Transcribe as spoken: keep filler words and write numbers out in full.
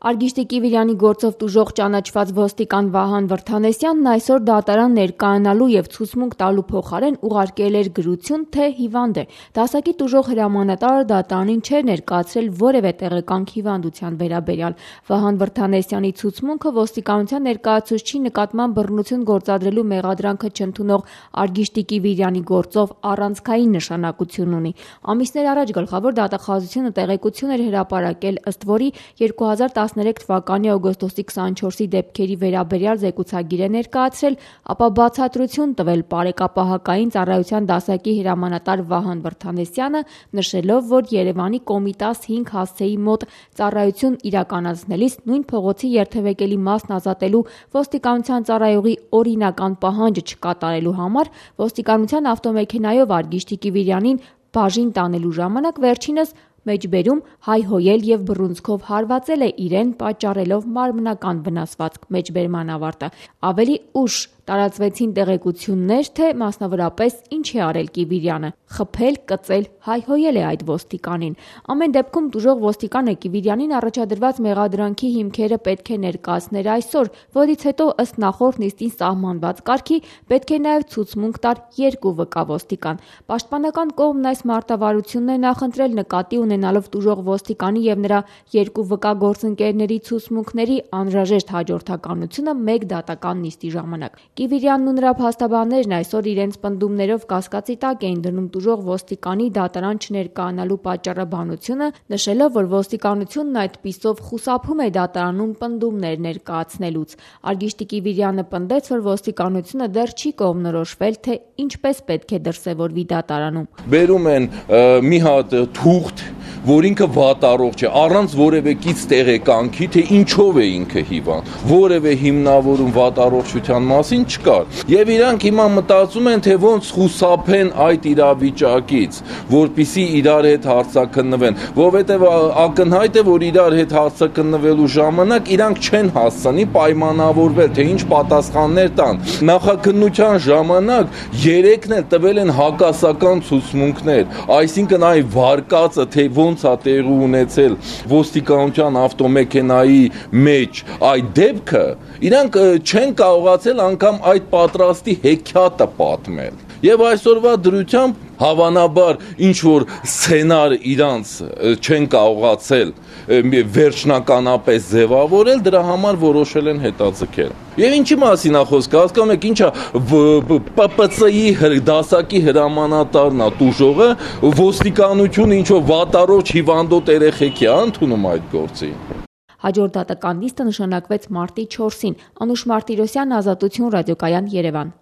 Արգիշտի Կիվիրյանի գործով տուժող ճանաչված ոստիկան Վահան Վրդանեսյանն այսօր դատարան ներկայանալու և ցուցմունք տալու փոխարեն ուղարկել էր գրություն, թե հիվանդ է։ Դասակի տուժող հրամանատարը դատարանին չէր ներկայացրել որևէ տեղեկանք հիվանդության վերաբերյալ։ Վահան Վրդանեսյանի ցուցմունքը ոստիկանության ներկայացուցչի նկատմամբ բռնություն գործադրելու մեղադրանքը չընդունող Արգիշտի Կիվիրյանի գործով առանցքային նշանակություն ունի։ Ամիսներ առաջ Գլխավոր դատախազությունը տեղեկություն էր հրապարակել, ըստ որի երկու հազար տասներեք թվականի օգոստոսի քսանչորսի դեպքերի վերաբերյալ զեկուցագիր է ներկայացրել, ապա բացատրություն տվել պարեկապահակային ծառայության դասակի հրամանատար Վահան Վրդանեսյանը, նշելով, որ Երևանի Կոմիտաս հինգ հասցեի մոտ ծառայություն իրականացնելիս նույն փողոցի երթևեկելի մասն ազատելու ոստիկանության ծառայողի օրինական պահանջը չկատարելու համար ոստիկանության ավտոմեքենայով Արգիշտի Կիվիրյանին բաժին տանելու ժամանակ վերջինս մեջբերում հայհոյել և բռունցքով հարվածել է իրեն, պատճառելով մարմնական վնասվածք մեջբերման ավարտը։ Ավելի ուշ տարածվեցին տեղեկություններ, թե մասնավորապես ինչ է արել Կիվիրյանը՝ խփել, կծել, հայհոյել է այդ ոստիկանին։ Ամեն դեպքում տուժող ոստիկանը Կիվիրյանին առաջադրված մեղադրանքի հիմքերը պետք է ներկայացներ այսօր, որից հետո ըստ նախորդ նիստին սահմանված կարգի պետք է նաև ցուցմունք տար երկու վկա ոստիկան։ Պաշտպանական կողմն այս մարտավարությունն է նախընտրել նկատի ունենալով տուժող ոստիկանի և նրա երկու վկա գործընկերների ցուցմունքների անհրաժեշտ հաջորդականությունը մեկ դատական նիստի ժամանակ։ Կիվիրյանն ու նրա փաստաբաններն այսօր իրենց պնդումներով կասկածի տակ էին դնում տուժող ոստիկանի դատարան չներկայանալու պատճառաբանությունը, նշելով, որ ոստիկանությունն այդպիսով խուսափում է դատարանում պնդումներ ներկայացնելուց։ Արգիշտի Կիվիրյանը պնդեց, որ ոստիկանությունը դեռ չի կողմնորոշվել, թե ինչպես պետք է դրսևորվի դատարանում։ Բերում են մի հատ թուղթ, որ ինքը վատառողջ է, առանց որևէ կից տեղեկանքի, թե ինչով է ինքը հիվանդ, որևէ հիմնավորում վատառողջության մասին չկար։ Եվ իրանք հիմա մտածում են, թե ոնց խուսափեն այդ իրավիճակից, որպեսզի իրար հետ հարցաքննվեն, որովհետև ակնհայտ է, որ իրար հետ հարցաքննվելու ժամանակ իրանք չեն հասցնի պայմանավորվել, թե ինչ պատասխաններ տան։ Նախաքննության ժամանակ երեքն էլ տվել են հակասական ցուցմունքներ, այսինքն այ վարկածը, թե ոնց է տեղի ունեցել ոստիկանության ավտոմեքենայի մեջ այդ դեպքը, իրանք չեն կարողացել անգամ այդ պատրաստի հեքիաթը պատմել։ Եվ այսօրվա դրությամբ հավանաբար ինչ որ սցենար իրանց չեն կարողացել վերջնականապես ձևավորել, դրա համար որոշել են հետաձգել։ Եվ ինչի մասին է խոսքը, հասկանում եք, ինչա Պ Պ Ց-ի դասակի հրամանատարն է տուժողը, ոստիկանությունը ինչ որ վատառողջ հիվանդոտ երեխեքի է ընդունում այդ գործի։ Հաջորդ դատական նիստը նշանակվեց մարտի չորսին։ Անուշ Մարտիրոսյան, Ազատություն, Ռադիոկայան, Երևան։